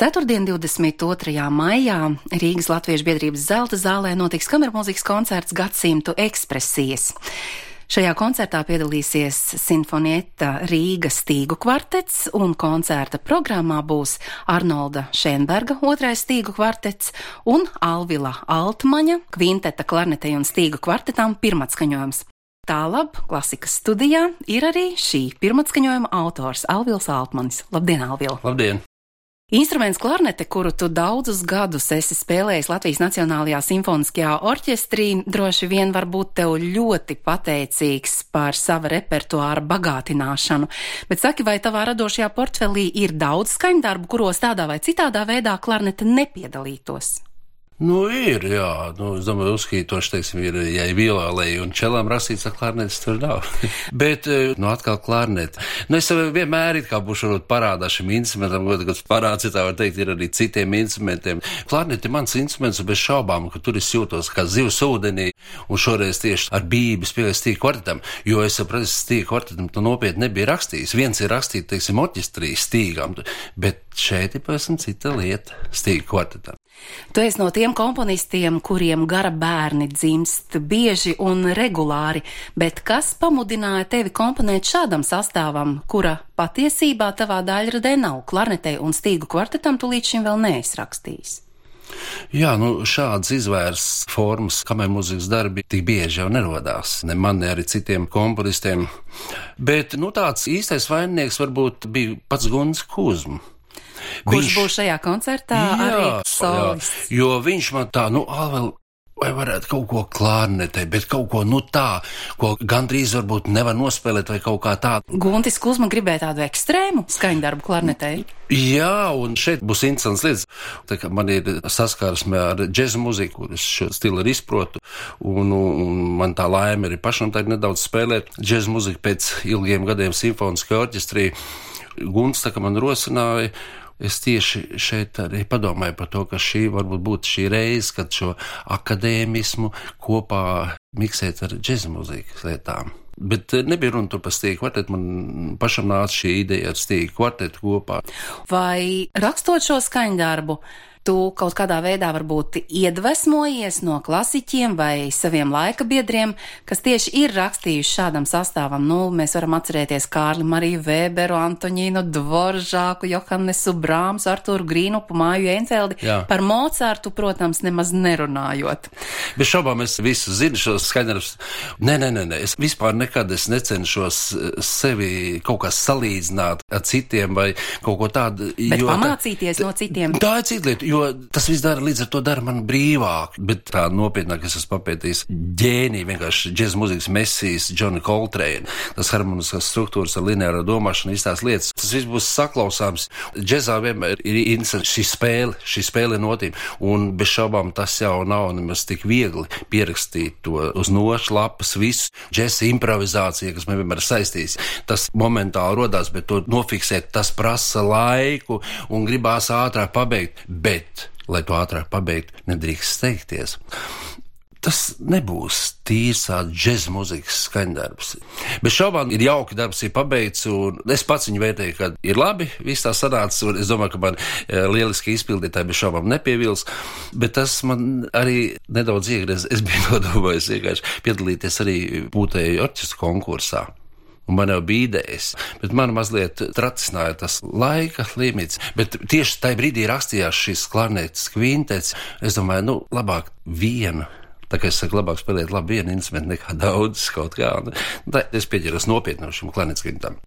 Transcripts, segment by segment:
Ceturtdien, 22. maijā Rīgas Latviešu biedrības Zelta zālē notiks kamermūzikas koncerts Gadsimtu ekspresijas. Šajā koncertā piedalīsies Sinfonietta Rīgas stīgu kvartets, un koncerta programmā būs Arnolda Šenberga otrais stīgu kvartets un Alvila Altmaņa kvinteta klarnetei un stīgu kvartetām pirmatskaņojums. Tālāk klasikas studijā ir arī šī pirmatskaņojuma autors Alvils Altmanis. Labdien, Alvil! Labdien! Instruments klarnete, kuru tu daudzus gadus esi spēlējis Latvijas Nacionālajā simfoniskajā orķestrī, droši vien var būt tev ļoti pateicīgs par sava repertuāra bagātināšanu. Bet saki, vai tavā radošajā portfelī ir daudz skaņdarbu, kuros tādā vai citādā veidā klarnete nepiedalītos? Ir, jā. Es domāju, uzskītoši, teiksim, ir, ja ir violēji un čelām rasīts, ar klarnetes tur nav. Bet, atkal klarnete. Es vienmēr it kā būšu parādā šim instrumentam, kāds parāds, ja tā var teikt, ir arī citiem instrumentiem. Klarnete ir mans instruments, bez šaubām, ka tur es jūtos kā zivs ūdenī, un šoreiz tieši ar bību spēlēju stīgu kvartetam, jo es sapratu, stīgu kvartetam to nopietni nebija rakstījis. Viens ir rakstīt, teiksim, orķestrī stīgām, bet šeit ir pavisam cita lieta stīgu kvartetam. Tu esi no tiem komponistiem, kuriem gara bērni dzimst bieži un regulāri, bet kas pamudināja tevi komponēt šādam sastāvam, kura patiesībā tavā daļradē nav? Klarnetei un stīgu kvartetam tu līdz šim vēl neesi rakstījis. Jā, šādas izvērs formas, kamermūzikas darbi tik bieži jau nerodās. Ne man, ne arī citiem komponistiem. Bet, tāds īstais vaininieks varbūt bija pats Gunts Kuzma. Kurš būs šajā koncertā arī solists? Jo viņš man tā, Alvel, vai varētu kaut ko klarnetei, bet kaut ko tā, ko gandrīz varbūt nevar nospēlēt vai kaut kā tādu. Guntis Kuzma gribēja tādu ekstrēmu skaņdarbu klarnetei? Jā, un šeit būs interesants lietas. Tā kā man ir saskarsme ar džeza muziku, kur es šo stilu arī izprotu, un man tā laime arī pašam tā nedaudz spēlēt džeza muziku pēc ilgiem gadiem simfoniskajā orķestrī. Gunts tā kā man rosināja. Es tieši šeit arī padomāju par to, ka šī varbūt būtu šī reize, kad šo akadēmismu kopā miksēt ar džeza mūzikas lietām. Bet nebija runa tur par stīgu kvartetu, man pašam nāca šī ideja ar stīgu kvartetu kopā. Vai rakstot šo skaņdarbu, tu kaut kādā veidā varbūt iedvesmojies no klasiķiem vai saviem laika biedriem, kas tieši ir rakstījuši šādam sastāvam? Mēs varam atcerēties Kārli Mariju Vēberu, Antoņīnu Dvoržāku, Johannesu Brāmsu, Arturu Grīnupu, Māju Enfeldi. Jā. Par Mocartu, protams, nemaz nerunājot. Bez šaubām es visu zinu šos skaņdarbus. Nē, es vispār nekad necenšos sevi kaut kā salīdzināt ar citiem vai kaut ko tādu. Bet pamācīties no citiem? Tā ir cita lieta. Jo tas viss līdz ar to dara man brīvāk, bet tā nopietnāk es esmu papētījis ģēniju, vienkārši džeza mūzikas mesijas, Johnny Coltrane, tas harmoniskās struktūras ar lineāro domāšanu, tās lietas. Tas viss būs saklausāms. Džezā vienmēr ir interesanti šī spēle notīm, un bez šaubām tas jau nav nemaz tik viegli pierakstīt to uz nošu lapas visu džeza improvizāciju, kas man vienmēr saistīs. Tas momentāli rodās, bet to nofiksēt, tas prasa laiku un gribās ātrāk pabeigt. Bet, lai to ātrāk pabeigtu, nedrīkst steigties. Tas nebūs tīrs džeza mūzikas skaņdarbs. Bez šaubām ir jauki darbs, ir pabeigts, un es pats viņu vērtēju, ka ir labi, viss tā sanācis, un es domāju, ka man lieliski izpildītāji bez šaubām nepievils, bet tas man arī nedaudz iegriez. Es biju nodomājis vienkārši piedalīties arī pūtēju orķestra konkursā. Un man jau bija idejas, bet man mazliet tracināja tas laika limits. Bet tieši tajā brīdī rakstījās šis klarnetes kvintets. Es domāju, labāk vienu. Tā kā es saku, labāk spēlēt vienu instrumentu nekā daudz kaut kā. Tā es pieķeros nopietni šim klarnetes kvintam.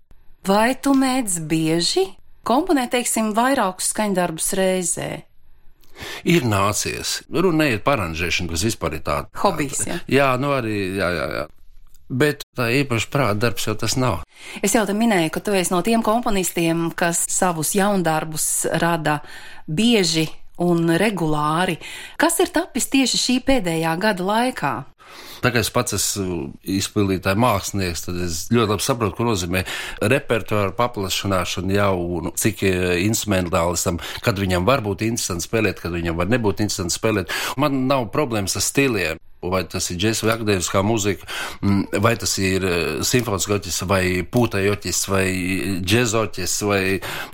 Vai tu mēdz bieži komponēt, teiksim, vairākus skaņdarbus reizē? Ir nācies. Runa neiet par aranžēšanu, kas vispār ir tāda. Hobijs, ja? Jā, arī, jā. Bet tā īpaši prāta darbs jau tas nav. Es jau te minēju, ka tu esi no tiem komponistiem, kas savus jaundarbus rada bieži un regulāri. Kas ir tapis tieši šī pēdējā gada laikā? Tā kā es pats esmu izpildītāja mākslinieks, tad es ļoti labi saprotu, ko nozīmē repertuāra paplašināšana jau un cik instrumentālistam, kad viņam var būt interesanti spēlēt, kad viņam var nebūt interesanti spēlēt. Man nav problēmas ar stiliem. Vai tas ir džesa vai akadēmiskā mūzika, vai tas ir simfoniskā orķestris, vai pūtēja orķestris, vai džeza orķestris, vai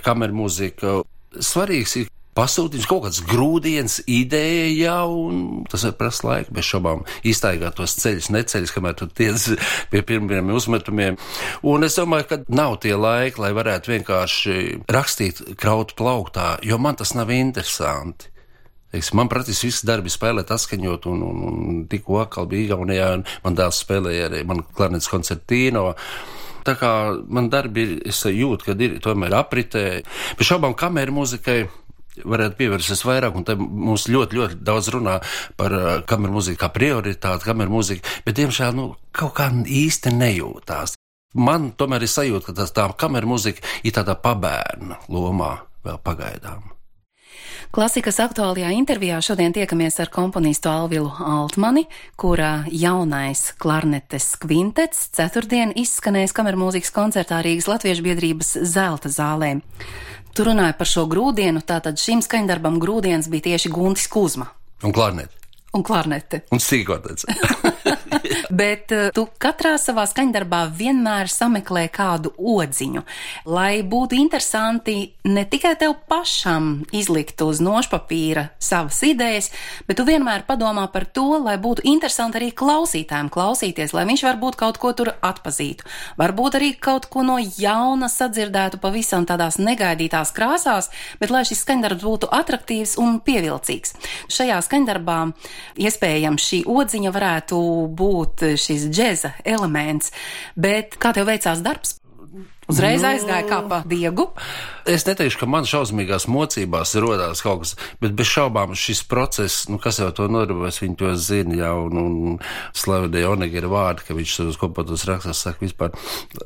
kamermūzika. Svarīgs ir pasūtījums, kaut kāds grūdienis, ideja jau, un tas var prasa laiku, bez šaubām iztaigāt tos ceļus, neceļus, kamēr tu tiec pie pirmiem uzmetumiem. Un es domāju, ka nav tie laiki, lai varētu vienkārši rakstīt krautu plauktā, jo man tas nav interesanti. Man praktiski viss darbi spēlēt, atskaņot, un tikko atkal bija Igaunijā, un man dēls spēlēja arī man klarnetes koncertīno. Tā kā man darbi, es jūtu, ka ir tomēr apritē. Bez šaubām kameru mūzikai varētu pievērsties vairāk, un te mums ļoti, ļoti daudz runā par kameru mūziku kā prioritāti, kameru mūziku, bet, diemžēl, kaut kā īsti nejūtās. Man tomēr ir sajūta, ka tā kameru mūzika ir tādā pabērna lomā vēl pagaidām. Klasikas aktuālajā intervijā šodien tiekamies ar komponistu Alvilu Altmani, kura jaunais klarnetes kvintets ceturtdien izskanēs kamermūzikas koncertā Rīgas Latviešu biedrības Zelta zālē. Tu runāji par šo grūdienu, tātad šim skaņdarbam grūdienis bija tieši Guntis Kuzma. Un klarnete. Un klarnete. Un sīkotets. Bet tu katrā savā skaņdarbā vienmēr sameklē kādu odziņu, lai būtu interesanti ne tikai tev pašam izlikt uz nošpapīra savas idejas, bet tu vienmēr padomā par to, lai būtu interesanti arī klausītājiem klausīties, lai viņš varbūt kaut ko tur atpazītu. Varbūt arī kaut ko no jauna sadzirdētu pavisam tādās negaidītās krāsās, bet lai šis skaņdarbs būtu atraktīvs un pievilcīgs. Šajā skaņdarbā iespējams šī odziņa varētu būt šis džeza elements, bet kā tev veicās darbs? Uzreiz aizgāja kā pa diegu? Es neteikšu, ka man šausmīgās mocībās rodās kaut kas, bet bez šaubām šis process, kas jau to nodarbojas, viņi to zina jau, un Slavidē Onega ir vārdi, ka viņš uz kompotos rakstos saka vispār,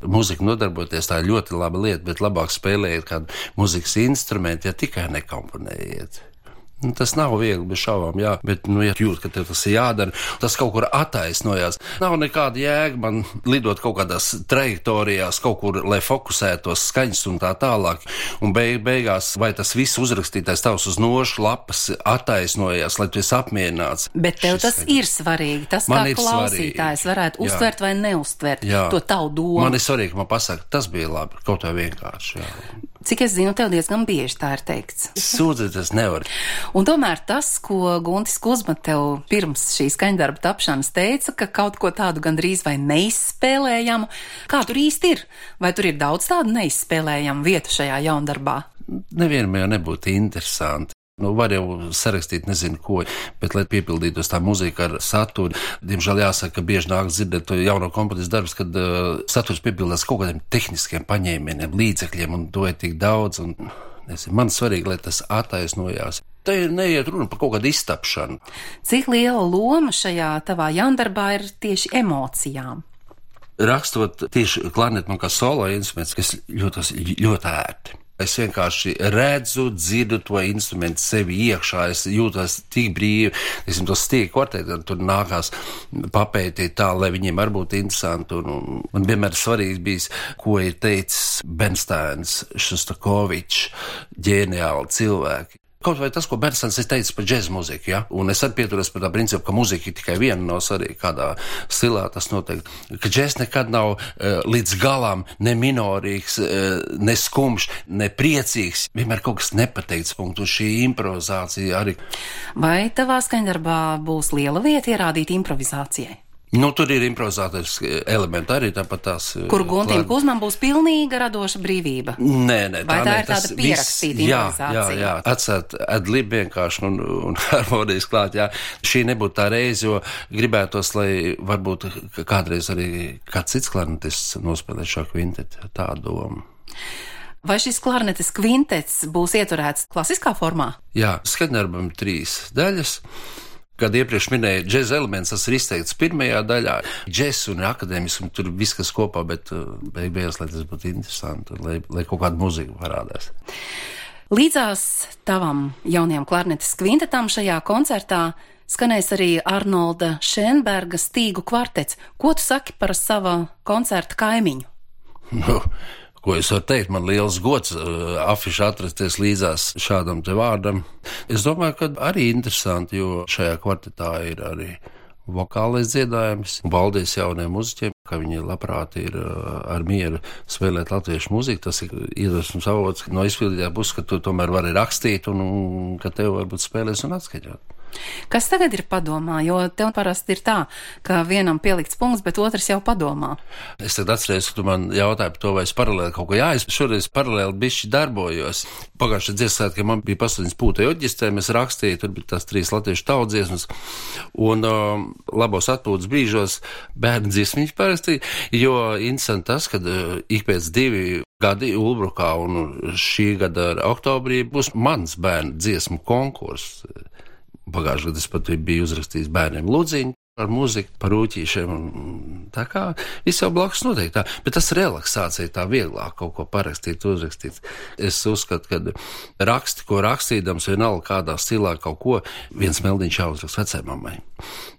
mūzika nodarboties, tā ir ļoti laba lieta, bet labāk spēlējiet kādu mūzikas instrumentu, ja tikai nekomponējiet. Tas nav viegli, bez šaubām, jā, bet, ja jūt, ka tev tas ir jādara, tas kaut kur attaisnojās. Nav nekāda jēga man lidot kaut kādās trajektorijās, kaut kur, lai fokusētos skaņas un tā tālāk, un beigās, vai tas viss uzrakstītais tavs uz nošu lapas attaisnojās, lai tu esi apmierināts. Bet tev tas ir svarīgi, tas man kā klausītājs varētu uztvert vai neuztvert to tavu domu. Man ir svarīgi, ka man pasaka, tas bija labi, kaut kā vienkārši, jā. Cik es zinu, tev diezgan bieži tā ir teikts. Sūdzēties nevar. Un tomēr tas, ko Guntis Kuzma tev pirms šī skaņdarba tapšanas teica, ka kaut ko tādu gandrīz vai neizspēlējamu, kā tur īsti ir? Vai tur ir daudz tādu neizspēlējamu vietu šajā jaundarbā? Nevienam jau nebūtu interesanti. Var jau sarakstīt nezinu ko, bet, lai piepildītos tā mūzika ar saturu, diemžēl jāsaka, ka bieži nāk dzirdēt to jauno komponistu darbus, kad saturs piepildās kaut kādiem tehniskiem paņēmieniem, līdzekļiem, un to ir tik daudz, un man svarīgi, lai tas attaisnojās. Te neiet runa par kaut kādu iztapšanu. Cik liela loma šajā tavā jaundarbā ir tieši emocijām? Rakstot tieši klarnetu man kā solo instruments, kas jūtas ļoti ērti. Es vienkārši redzu, dzirdu to instrumentu sevi iekšā, es jūtos tik brīvi, tos stīgu kvarteti, tur nākās papētīt tā, lai viņiem arī būtu interesanti, un man vienmēr svarīgi bijis, ko ir teicis Bernsteins, Šostakovičs, ģeniāli cilvēki. Kaut vai tas, ko Bernsteins ir teicis par džēza mūziku, ja? Un es arī pieturos par tā principu, ka mūzika ir tikai viena, nav svarīgi kādā stilā tas noteikti. Ka džēz nekad nav līdz galam ne minorīgs, ne skumjš, ne priecīgs, vienmēr kaut kas nepateikts punkts, un šī improvizācija arī. Vai tavā skaņdarbā būs liela vieta ierādīt improvizācijai? Tur ir improvizācijas elementi arī tāpat tās. Kur Guntim Kuzmam būs pilnīga radoša brīvība? Nē, vai tā ir tāda pierakstīta improvizācija? Jā, atcēt adlib vienkārši un harmonijas klāt, jā. Šī nebūtu tā reize, jo gribētos, lai varbūt kādreiz arī kāds cits klarnetists nospēlē šo kvintetu, tā doma. Vai šis klarnetes kvintets būs ieturēts klasiskā formā? Jā, skaņdarbam 3 daļas. Kad iepriekš minēja džeza elements, tas ir izteikts pirmajā daļā. Džez un akadēmismu tur viss kas kopā, bet beigās, lai tas būtu interesanti, lai kaut kāda mūzika parādās. Līdzās tavam jaunajam klarnetes kvintetam šajā koncertā skanēs arī Arnolda Šenberga stīgu kvartets. Ko tu saki par sava koncerta kaimiņu? Ko es varu teikt, man liels gods afiši atrasties līdzās šādam te vārdam. Es domāju, ka arī interesanti, jo šajā kvartetā ir arī vokālais dziedājums, un paldies jauniem muziķiem. ka viņi labprāt ir ar mieru spēlēt latviešu mūziku. Tas ir iedvesmas avots no izpildītā puses, ka tu tomēr vari rakstīt un ka tev varbūt spēlēs un atskaņot. Kas tagad ir padomā? Jo tev parasti ir tā, ka vienam pielikts punkts, bet otrs jau padomā. Es tagad atceros, ka tu man jautāji par to, vai es paralēli kaut ko es šoreiz paralēli bišķi darbojos. Pagājušajā dziesmā, man bija 8 pūta joģistē, mēs rakstīju, tur bija tās 3 latviešu tautsdziesmas, un labos atpūtas brīžos bērnu dziesmiņas parakstīja, jo interesanti tas, kad ik pēc 2 gadi Ulbrukā un šī gada oktobrī būs mans bērnu dziesmu konkurss. Pagājušajā gadā es pat biju uzrakstījis bērniem lūdziņu ar mūziku, par rūķīšiem, un tā kā viss jau blakus notiek tā, bet tas relaksācija tā vieglāk kaut ko parakstīt, uzrakstīt. Es uzskatu, ka raksti, ko rakstīdams, vienalga kādā stilā kaut ko, viens meldiņš jāuzrakst vecēmammai.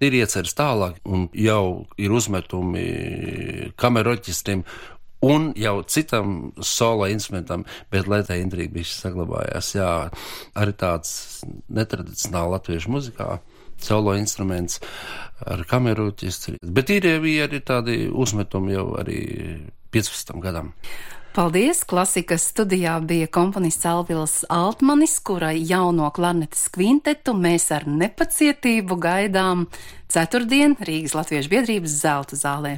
Ir ieceres tālāk, un jau ir uzmetumi kameroķistrim, un jau citam solo instrumentam, bet lai tā intriga bišķi saglabājās, jā, arī tāds netradicionāli latviešu muzikā, solo instruments ar kamerūķistri, bet ir arī tādi uzmetumi jau arī 15 gadam. Paldies! Klasikas studijā bija komponists Alvils Altmanis, kurai jauno klarnetes kvintetu mēs ar nepacietību gaidām ceturtdien Rīgas Latviešu biedrības Zelta zālē.